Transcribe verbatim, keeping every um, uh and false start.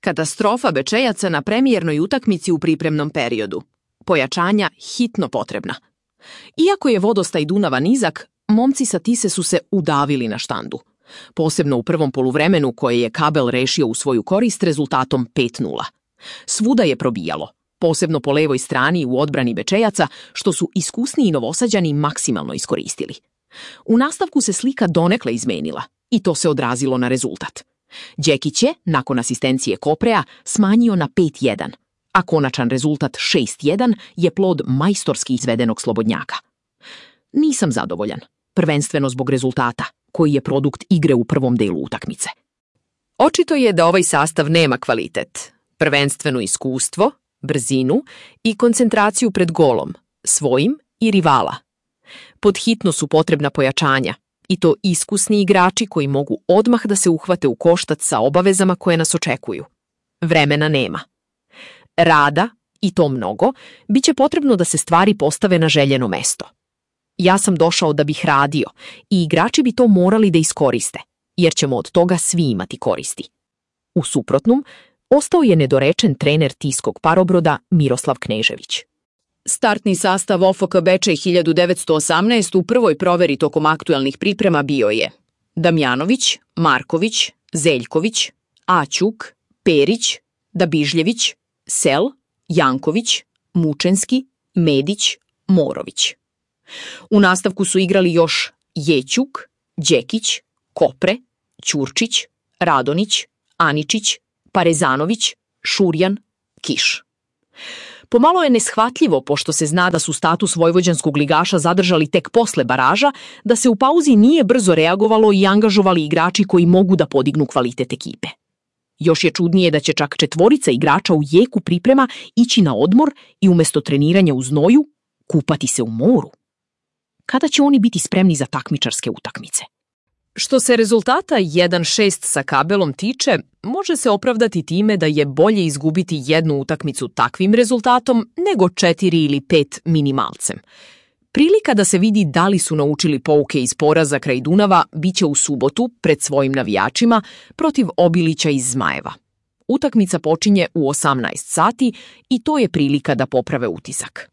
Katastrofa Bečejaca na premijernoj utakmici u pripremnom periodu. Pojačanja hitno potrebna. Iako je vodostaj Dunava nizak, momci sa Tise su se udavili na štandu. Posebno u prvom poluvremenu koje je Kabel rešio u svoju korist rezultatom pet nula. Svuda je probijalo, posebno po levoj strani u odbrani Bečejaca, što su iskusniji Novosađani maksimalno iskoristili. U nastavku se slika donekle izmenila i to se odrazilo na rezultat. Đekić je, nakon asistencije Koprea, smanjio na pet jedan, a konačan rezultat šest jedan je plod majstorski izvedenog slobodnjaka. Nisam zadovoljan, prvenstveno zbog rezultata, koji je produkt igre u prvom delu utakmice. Očito je da ovaj sastav nema kvalitet, prvenstveno iskustvo, brzinu i koncentraciju pred golom, svojim i rivala. Podhitno su potrebna pojačanja, i to iskusni igrači koji mogu odmah da se uhvate u koštac sa obavezama koje nas očekuju. Vremena nema. Rada, i to mnogo, bit će potrebno da se stvari postave na željeno mesto. Ja sam došao da bih radio i igrači bi to morali da iskoriste, jer ćemo od toga svi imati koristi. U suprotnom, ostao je nedorečen trener Tiskog Parobroda Miroslav Knežević. Startni sastav O F K Bečej hiljadu devetsto osamnaest u prvoj proveri tokom aktuelnih priprema bio je Damjanović, Marković, Zeljković, Aćuk, Perić, Dabižljević, Sel, Janković, Mučenski, Medić, Morović. U nastavku su igrali još Jećuk, Đekić, Kopre, Ćurčić, Radonić, Aničić, Parezanović, Šurjan, Kiš. Pomalo je neshvatljivo, pošto se zna da su status vojvođanskog ligaša zadržali tek posle baraža, da se u pauzi nije brzo reagovalo i angažovali igrači koji mogu da podignu kvalitet ekipe. Još je čudnije da će čak četvorica igrača u jeku priprema ići na odmor i umjesto treniranja u znoju, kupati se u moru. Kada će oni biti spremni za takmičarske utakmice? Što se rezultata jedan šest sa Kabelom tiče, može se opravdati time da je bolje izgubiti jednu utakmicu takvim rezultatom nego četiri ili pet minimalcem. Prilika da se vidi da li su naučili pouke iz poraza kraj Dunava biće u subotu pred svojim navijačima protiv Obilića iz Zmajeva. Utakmica počinje u osamnaest sati i to je prilika da poprave utisak.